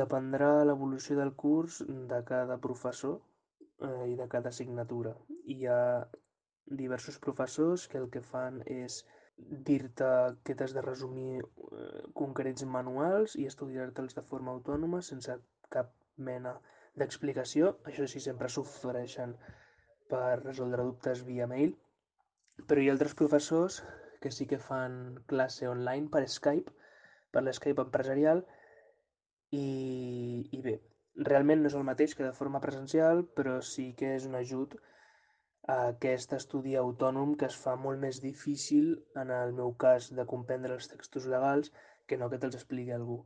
Dependrà l'evolució del curs de cada professor i de cada assignatura. Hi ha diversos professors que el que fan és dir-te que t'has de resumir concrets manuals i estudiar-te'ls de forma autònoma sense cap mena d'explicació. Això sí, sempre s'ofereixen per resoldre dubtes via mail, però hi ha altres professors que sí que fan classe online per Skype, per l'Skype empresarial, i bé, realment no és el mateix que de forma presencial, però sí que és un ajut a aquest estudi autònom que es fa molt més difícil, en el meu cas, de comprendre els textos legals que no que te'ls expliqui algú.